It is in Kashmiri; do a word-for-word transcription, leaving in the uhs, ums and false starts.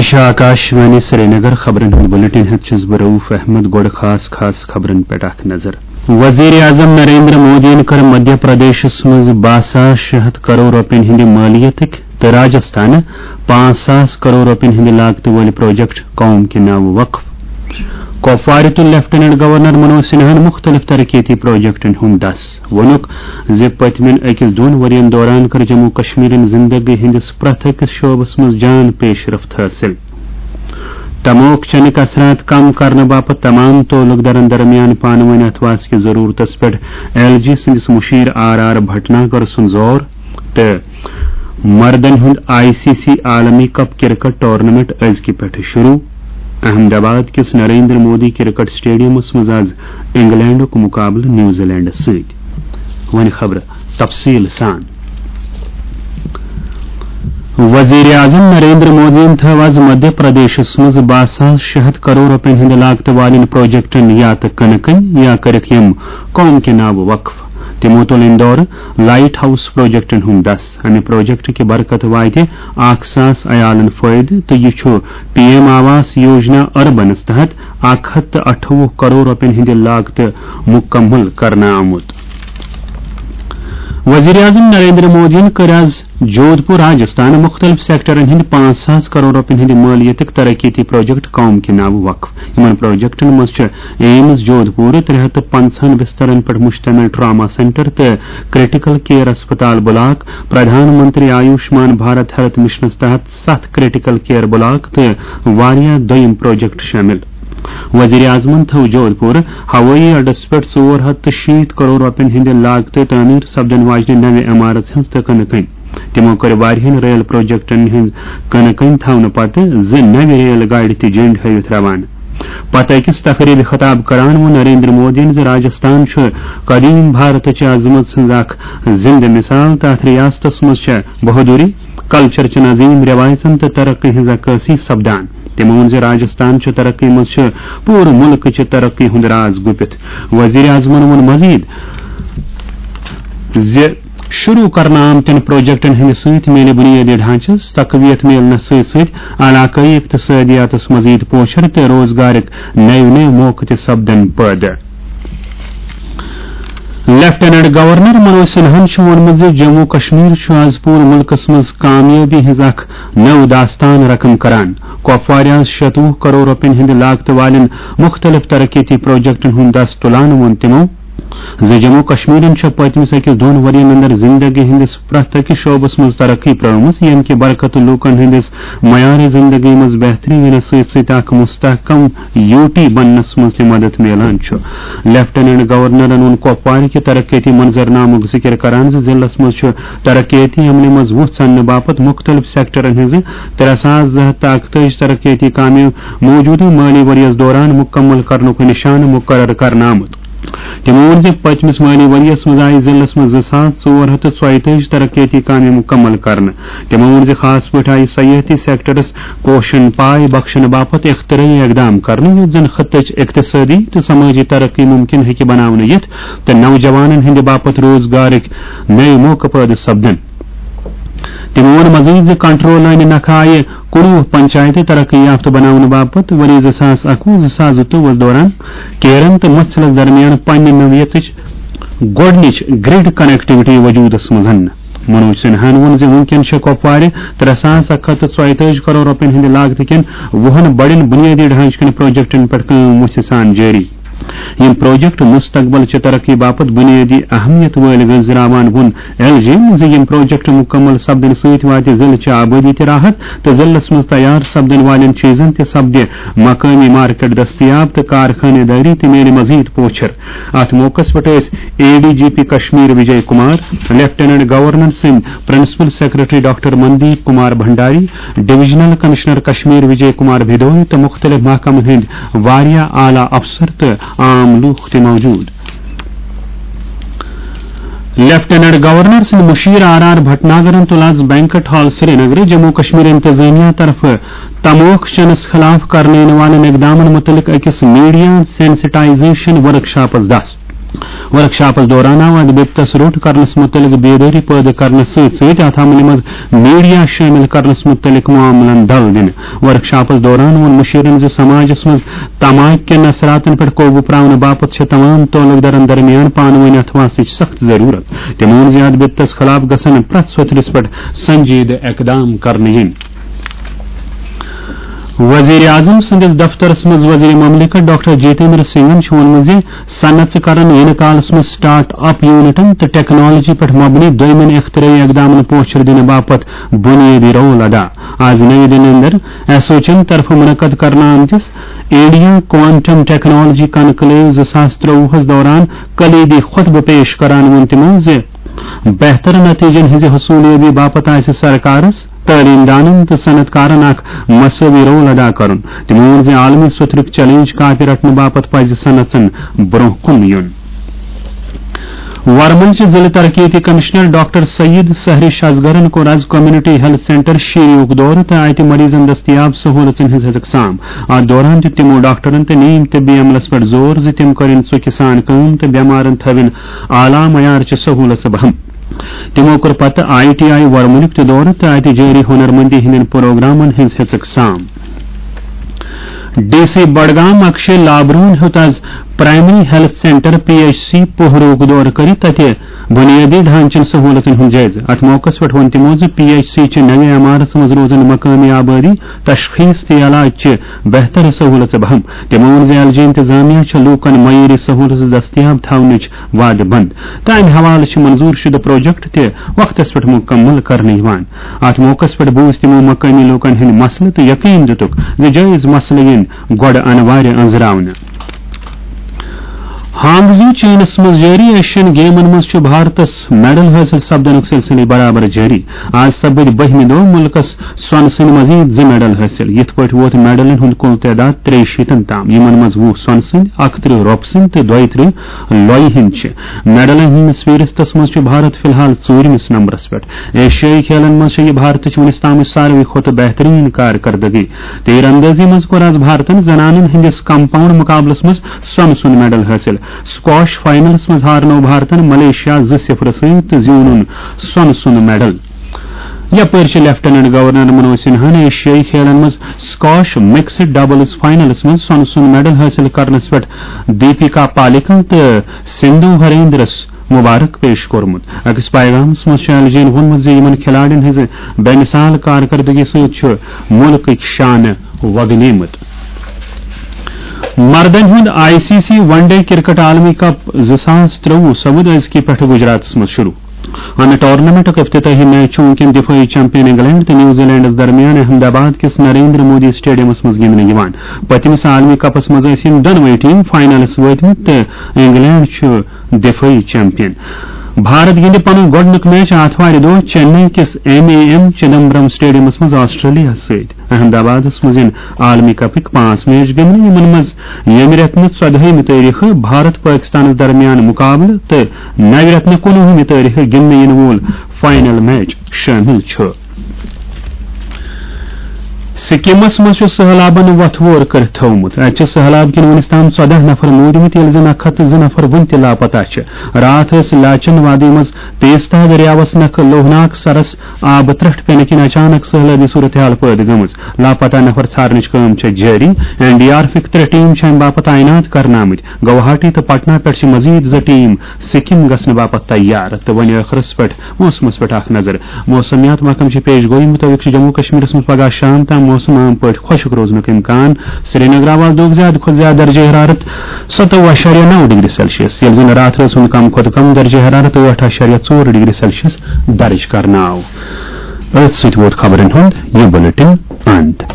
چھِ آکاشوانی سرینگر۔ خبرن ہُنٛد بلیٹن ہٮ۪تھ چھُس بہٕ رؤف احمد۔ گۄڈٕ خاص خاص خبرن پٮ۪ٹھ اکھ نظر۔ وزیر اعظم نریندر مودیَن کٔر مدھیہ پردیشس منٛز باہ ساس شےٚ ہتھ کرور رۄپین ہٕنٛدِ مٲلیتٕکۍ تہٕ راجستھانہٕ پانٛژھ ساس کرور رۄپین ہٕنٛدِ لاگتہٕ وٲلۍ پروجیکٹ قوم کہِ ناوٕ وقف۔ کپوارِ تُل لیفٹیننٹ گورنر منوج سنہاہن مُختٔلِف ترقیتی پروجیکٹن ہُنٛد دس۔ ووٚنُکھ زِ پٔتمٮ۪ن أکِس دۄن ؤرین دوران کٔر جموں کشمیرن زندگی ہٕنٛدِس پرٛٮ۪تھ أکِس شعبس منٛز جان پیش رفت حٲصِل۔ تموک چنٕکۍ اثرات کم کرنہٕ باپتھ تمام تعلق دارن درمیان پانہٕ وٲنۍ اتھواس کِس ضرورتس پٮ۪ٹھ ایل جی سٕنٛدِس مشیر آر آر بھٹناگر سُنٛد زور تہٕ مردن ہُنٛد آئی سی سی عالمی کپ کرکٹ ٹورنامنٹ أزکہِ پٮ۪ٹھٕ شروع۔ احمد آباد کِس نریندر مودی کرکٹ اسٹیڈیمس منٛز آز انگلینڈُک مقابلہٕ نیوزی لینڈس سۭتۍ۔ وۄنۍ خبرٕ تفصیٖل سان۔ وزیر اعظم نریندر مودیَن تھٲو آز مدھیہ پردیشس منٛز باہ ساس شےٚ ہتھ کرور رۄپین ہٕنٛدِ لاگتہٕ والٮ۪ن پروجیکٹن یا تہٕ کٕنہٕ کٕنۍ یا کٔرِکھ یِم قوم کہِ ناوٕ وقف۔ تِمو تُل اندورٕ لائٹ ہاؤس پروجیکٹن ہُنٛد دس۔ امہِ پروجیکٹ کہِ برکتہٕ واتہِ اکھ ساس عیالن فٲیدٕ تہٕ یہِ چھُ پی ایم آواس یوجنا اربنس تحت اکھ ہتھ تہٕ اَٹھووُہ کرور رۄپین ہٕنٛدِ لاگتہٕ مُکمل کرنہٕ آمُت۔ وزیر اعظم نریندر مودیَن کٔر آز جودھ پور راجستھان مُختٔلِف سیکٹرن ہٕنٛدِ پانٛژھ ساس کرور رۄپین ہٕنٛدِ مٲلیتٕکۍ ترقیتی پروجیکٹ قوم کہِ ناوٕ وقف۔ یِمن پروجیکٹن منٛز چھِ ایمز جودھ پور، ترٛےٚ ہتھ تہٕ پنٛژاہن بسترن پٮ۪ٹھ مشتمل ٹراما سینٹر تہٕ کریٹیکل کیئر اسپتال block, Pradhan Mantri Ayushman Bharat health missions تحت ستھ کریٹیکل کیئر بلاک تہٕ واریاہ دوٚیم پروجیکٹ شٲمِل۔ وزیر اعظمن تھٲو جودھ پور ہوٲیی اڈس پٮ۪ٹھ ژور ہتھ تہٕ شیٖتھ کرور رۄپین ہٕنٛدِ لاگتہٕ تعمیٖر سپدن واجنہِ نوِ عمارژ ہٕنٛز تہٕ کٕنہٕ کٕنۍ۔ تِمو کٔر واریاہن ریل پروجیکٹن ہٕنٛز کٕنہٕ کٕنۍ تھاونہٕ پتہٕ زٕ نوِ ریل گاڑِ تہِ جنڈ ہٲوِتھ روانہٕ۔ پتہٕ أکِس تقریبہِ خطاب کران ووٚن نریندر مودیَن زِ راجستھان چھُ قدیم بھارتٕچ عظمت سٕنٛز اکھ زندٕ مثال تہٕ اتھ ریاستس منٛز چھےٚ بہادری، کلچر چٮ۪ن عظیم رٮ۪وایژن تہٕ ترقی ہٕنٛز عکٲسی سپدان۔ تٔمۍ ووٚن زِ راجستھان چہِ ترقی منٛز چھُ پوٗرٕ مُلکٕچہِ ترقی ہُنٛد راز گُپِتھ۔ وزیر اعظمن ووٚن مزید زِ شروع کرنہٕ آمتٮ۪ن پروجیکٹن ہٕنٛدِ سۭتۍ میلہِ بُنیٲدی ڈھانچس تقویت میلنس سۭتۍ سۭتۍ علاقٲیی اقتصادیاتس مزید پوچھر تہٕ روزگارٕکۍ نٔوۍ نٔوۍ موقعہٕ تہِ سپدن پٲدٕ۔ لیفٹیننٹ گورنر منوج سنہاہن چھُ ووٚنمُت زِ جموں کشمیر چھُ آز پوٗرٕ مُلکس منٛز کامیٲبی ہٕنٛز اکھ نٔو داستان رقم کران۔ کپوارِ آز شیٚتوُہ کرور رۄپین ہٕنٛدِ لاگتہٕ والٮ۪ن مُختٔلِف ترقیتی پروجیکٹن ہُنٛد دس تُلان ووٚن تِمو زِ جموں کشمیرن چھےٚ پٔتمِس أکِس دۄن ؤرین اندر زندگی ہٕنٛدِس پرٛٮ۪تھ أکِس شعبس منٛز ترقی پرٲومٕژ، ییٚمہِ کہِ برکتہٕ لوٗکن ہٕنٛدِس معیارِ زندگی منٛز بہتری یِنس سۭتۍ سۭتۍ اکھ مستحکم یوٗ ٹی بننس منٛز تہِ مدد میلان چھُ۔ لیفٹیننٹ گورنرن ووٚن کۄپوارِ کہِ ترقیتی منظرنامُک ذِکِر کران زِ ضلعس منٛز چھُ ترقیتی عملہِ منٛز وُژھ اننہٕ باپتھ مُختٔلِف سیکٹرن ہٕنٛزٕ ترٛےٚ ساس زٕ ہتھ تہٕ اَکتٲجی ترقیتی کامہِ موٗجوٗدٕ مٲلی ؤرۍ یَس دوران مُکمل کرنُک نِشانہٕ مُقرر کرنہٕ آمُت۔ تِمو ووٚن زِ پٔتمِس مٲلی ؤرۍ یَس منٛز آیہِ ضلعس منٛز زٕ ساس ژور ہتھ تہٕ ژۄیہِ تٲجی ترقیتی کامہِ مُکمل کرنہٕ۔ تِمو ووٚن زِ خاص پٲٹھۍ آیہِ سیاحتی سیکٹرس کوشن پاے بخشنہٕ باپتھ اختراعی اقدام کرنہٕ، یُتھ زن خطٕچ اقتصٲدی تہٕ سمٲجی ترقی ممکن ہیٚکہِ بناونہٕ یِتھ تہٕ نوجوانن ہٕنٛدِ باپتھ روزگارٕکۍ نٔوۍ موقعہٕ پٲدٕ سپدن۔ تِمو ووٚن مزید زِ کنٹرول لٲنہِ نکھٕ آیہِ کُنوُہ پنچایتہٕ ترقی یافتہٕ بناونہٕ باپتھ ؤری زٕ ساس اَکوُہ زٕ ساس زٕتووُہس دوران کیرن تہٕ مۄچھلس درمیان پننہِ نوعیتٕچ گۄڈٕنِچ گرڈ کنیکٹیوٹی وجوٗدس منٛز اننہٕ۔ منوج سنہاہن ووٚن زِ وُنکیٚن چھےٚ کۄپوارِ ترٛےٚ ساس اکھ ہتھ تہٕ ژۄیہِ تٲجی کرور رۄپین ہٕنٛدِ لاگتہٕ کٮ۪ن وُہن بڑٮ۪ن بُنیٲدی ڈھانچہٕ کٮ۪ن پروجیکٹن پٮ۪ٹھ کٲم وُژھِ سان جٲری۔ یِم پروجیکٹ مستقبل چہِ ترقی باپتھ بُنیٲدی اہمیت وٲلۍ گٔژھۍ زراوان۔ ووٚن ایل جیَن زِ یِم پروجیکٹ مُکمل سپدنہٕ سۭتۍ واتہِ ضلعہٕ چہِ آبٲدی تہِ راحت تہٕ ضلعس منٛز تیار سپدن والٮ۪ن چیٖزن تہِ سپدِ مقٲمی مارکیٹ دٔستیاب تہٕ کارخانہٕ دٲری تہِ میلہِ مزید پوچھر۔ اتھ موقعس پٮ۪ٹھ ٲسۍ A D G P Kashmir Vijay Kumar, lieutenant governor سٕنٛدۍ principal secretary doctor Mandeep Kumar Bhandari, divisional commissioner Kashmir Vijay Kumar Bhadoi تہٕ مُختٔلِف محکمن ہٕنٛدۍ واریاہ اعلیٰ افسر تہٕ عام لوٗکھ تہِ موجود۔ لیفٹیننٹ گورنر سٕنٛدۍ مشیر آر آر بھٹناگرن تُل آز بینکٹ ہال سرینگرٕ جموں کشمیر انتظامیہ طرفہٕ تموک چنس خلاف کرنہٕ یِنہٕ والٮ۪ن اقدامن مُتعلق أکِس میڈیا سینسٹائزیشن ورکشاپس دس۔ ورکشاپس دوران آو اتھ بِپتس روٚٹ کرنس مُتعلق بیدٲری پٲدٕ کرنس سۭتۍ سۭتۍ اتھ عملہِ منٛز میڈیا شٲمِل کرنس مُتعلق معاملن ڈل دِنہٕ۔ ورکشاپس دوران ووٚن مُشیرن زِ سماجس منٛز تماکہِ کٮ۪ن اثراتن پٮ۪ٹھ قوبوٗ پراونہٕ باپتھ چھِ تمام تعلقدارن درمیان پانہٕ وٲنۍ اتھواسٕچ سخت ضروٗرت۔ تٔمۍ ووٚن زِ اتھ بِپتس خلاف گژھن پرٛٮ۪تھ سوٚتھرِس پٮ۪ٹھ سنجیدٕ اقدام کرنہٕ یِنۍ۔ وزیر اعظم سٕنٛدِس دفترس منٛز وزیر مملکت ڈاکٹر جتیندر سنگھن چھُ ووٚنمُت زِ صنعت چھِ کران یِنہٕ کالس منٛز سٹارٹ اپ یونٹن تہٕ ٹیکنالوجی پٮ۪ٹھ مبنی دوٚیمٮ۪ن اختراعی اقدامن پوچھر دِنہٕ باپتھ بنیٲدی رول ادا۔ آز نئی دِلہِ اندر ایسوچن طرفہٕ منعقد کرنہٕ آمتِس انڈیا کوانٹم ٹیکنالوجی کنکلیو زٕ ساس ترٛۆوُہس دوران کلیدی خطبہٕ پیش کران ووٚن تِمو زِ بہتر نتیجن ہٕنٛزِ حصولیابی باپتھ آسہِ سرکارس، تعلیم دانن تہٕ صنعت کارن اکھ مساوی رول ادا کرُن۔ تِمو ووٚن زِ عالمی سوٚتھرُک چیلنج کاپہِ رٹنہٕ باپتھ پزِ صنعتن برونٛہہ کُن یُن۔ ورمُلچہِ ضلع ترقیتی کمشنر ڈاکٹر سعید سحری شزگرن کوٚر از کمیونٹی ہیلتھ سینٹر شیریُک دورٕ تہٕ اتہِ مریضن دستیاب سہولژن ہٕنٛز ہیٚژٕکھ سام۔ اتھ دوران دیُت تِمو ڈاکٹرن تہٕ نیم طبی عملس پٮ۪ٹھ زور زِ تِم کرن ژُکہِ سان کٲم تہٕ بٮ۪مارن تھٲوِن اعلیٰ معیارچہِ سہولژٕ بہم۔ تِمو کوٚر پتہٕ آئی ٹی آئی ورمُلُک تہِ دورٕ تہٕ اتہِ جٲری ہُنرمندی ہٕنٛدٮ۪ن پروگرامن ہٕنٛز ہیٚژٕکھ سام۔ ڈی سی بڈگام اکشے لابروہن ہیوٚت از primary health centre P H C پوہروک دورٕ کٔرِتھ تتہِ بنیٲدی ڈھانچن سہولژن ہُنٛد جٲیزٕ۔ اتھ موقعس پٮ۪ٹھ ووٚن تِمو زِ پی ایچ سی چہِ نوِ عمارژ منٛز روزن مقٲمی آبٲدی، تشخیص تہٕ علاج چہِ بہتر سہولژٕ بہم۔ تِمو ووٚن زِ ایل جی انتظامیہ چھےٚ لوٗکن معیٲری سہولژٕ دستیاب تھاونٕچ وعدٕ بنٛد تہٕ امہِ حوالہٕ چھِ منظور شدٕ پروجیکٹ تہِ وقتس پٮ۪ٹھ مکمل کرنہٕ یِوان۔ اتھ موقعس پٮ۪ٹھ بوٗزۍ تِمو مقٲمی لوٗکن ہٕنٛدۍ مسلہٕ تہٕ یقین دِتُکھ زِ جٲیز مسلہٕ یِن گۄڈٕ انوارِ أنٛزراونہٕ۔ ہانگزو چینس منٛز جٲری ایشین گیمن منٛز چھُ بھارتس میڈل حٲصِل سپدنُک سلسلہٕ برابر جٲری۔ آز سپٕدۍ بٔہمہِ دۄہ مُلکس سۄنہٕ سٕنٛدۍ مزید زٕ میڈل حٲصِل۔ یِتھ پٲٹھۍ ووت میڈلن ہُنٛد کُل تعداد ترٛیہِ شیٖتن تام، یِمن منٛز وُہ سۄنہٕ سٕنٛدۍ، اکترٕہ رۄپہٕ سٕنٛدۍ تہٕ دۄیہِ ترٕٛہ لۄیہِ ہٕنٛدۍ چھِ۔ میڈلن ہٕنٛدِس فہرستس منٛز چھُ بھارت فی الحال ژوٗرمِس نمبرس پٮ۪ٹھ۔ ایشیٲیی کھیلن منٛز چھےٚ یہِ بھارتٕچ وُنیُس تامٕچ ساروٕے کھۄتہٕ بہتریٖن کارکردگی۔ تیر اندٲزی منٛز کوٚر آز بھارتن زنانن ہٕنٛدِس کمپاؤنڈ مقابلس منٛز سۄنہٕ سُنٛد میڈل حٲصِل۔ سکواش فاینلس منٛز ہارنوو بھارتن ملیشیا زٕ صفر سۭتۍ تہٕ زیوٗنُن سۄنہٕ سُنٛد میڈل۔ یپٲرۍ چھِ لیفٹیننٹ گورنر منوج سنہاہن ایشیٲیی کھیلن منٛز سکواش مکسڈ ڈبلز فاینلس منٛز سۄنہٕ سُنٛد میڈل حٲصِل کرنس پٮ۪ٹھ دیپیکا پالیکل تہٕ سندھو ہریندرس مبارک پیش کوٚرمُت۔ أکِس پیغامس منٛز چھُ ایل جی ین ووٚنمُت زِ یِمن کھلاڑٮ۪ن ہٕنٛزِ بے مثال کارکردگی سۭتۍ چھُ مُلکٕکۍ شانہٕ وۄگنیمٕتۍ۔ مردن ہُنٛد I C C one day cricket عالمی کپ زٕ ساس ترٛۆوُہ سپُد أزکہِ پٮ۪ٹھٕ گجراتس منٛز شروع۔ امہِ ٹورنامنٹُک افتتاحی میچ چھُ وُنکٮ۪ن دفٲعی چیمپین انگلینڈ تہٕ نیوزی لینڈس درمیان احمد آباد کِس نریندر مودی اسٹیڈیمس منٛز گِنٛدنہٕ یِوان۔ پٔتمِس عالمی کپس منٛز ٲسۍ یِم دۄنوَے ٹیم فاینلس وٲتمٕتۍ تہٕ انگلینڈ چھُ دفٲعی چیمپین۔ بھارت گِنٛدِ پنُن گۄڈٕنیُک میچ آتھوارِ دۄہ چنئی کِس ایم اے ایم چدمبرم اسٹیڈیمس منٛز آسٹریلیا سۭتۍ۔ احمد آبادس منٛز یِن عالمی کپٕکۍ پانٛژھ میچ گِنٛدنہٕ، یِمن منٛز ییٚمہِ رٮ۪تہٕ نہٕ ژۄدہٲیمہِ تٲریخہٕ بھارت پٲکستانس درمیان مقابلہٕ تہٕ نوِ رٮ۪تہٕ نہٕ کُنوُہمہِ تٲریخہٕ گِنٛدنہٕ یِنہٕ وول فاینل میچ شٲمِل چھُ۔ سکمس منٛز چھُ سٔہلابن وۄتھٕ وور کٔرِتھ تھوومُت۔ اتہِ چھِ سٔہلاب کِنۍ وُنیُس تام ژۄدہ نفر موٗدمٕتۍ، ییٚلہِ زِ نکھٕ ہتہٕ زٕ نفر وُنہِ تہِ لاپتہ چھِ۔ راتھ ٲسۍ لاچن وادی منٛز تیزتا دٔریاوس نکھٕ لوہناک سرس آبہٕ ترٛٹھ پینہٕ کِنۍ اچانک سٔہلٲبی صورتحال پٲدٕ گٔمٕژ۔ لاپتہ نفر ژھارنٕچ کٲم چھےٚ جٲری۔ این ڈی آر ایفٕکۍ ترٛےٚ ٹیم چھِ امہِ باپتھ تعینات کرنہٕ آمٕتۍ۔ گوہاٹی تہٕ پٹنہ پٮ۪ٹھ چھِ مزید زٕ ٹیم سکم گژھنہٕ باپتھ تیار۔ تہٕ وۄنۍ ٲخرس پٮ۪ٹھ موسمس پٮ۪ٹھ اکھ نظر۔ موسمیات محکمہٕ چہِ پیش گویی مُطٲبِق چھُ جموں کشمیرس منٛز پگاہ شام تام موسم عام پٲٹھۍ خۄشک روزنُک امکان۔ سرینگر آو آز دۄہُک زیادٕ کھۄتہٕ زیادٕ درجہ حرارت ستووُہ اعشاریہ نو ڈگری سیلسیس، ییٚلہِ زن راتھ رٲژ ہُنٛد کم کھۄتہٕ کم درجہ حرارت ٲٹھ اعشاریہ ژور ڈگری سیلسیس درج کرنہٕ آو۔ أتھۍ سۭتۍ ووت خبرن ہُنٛد یہِ بُلٹن اند۔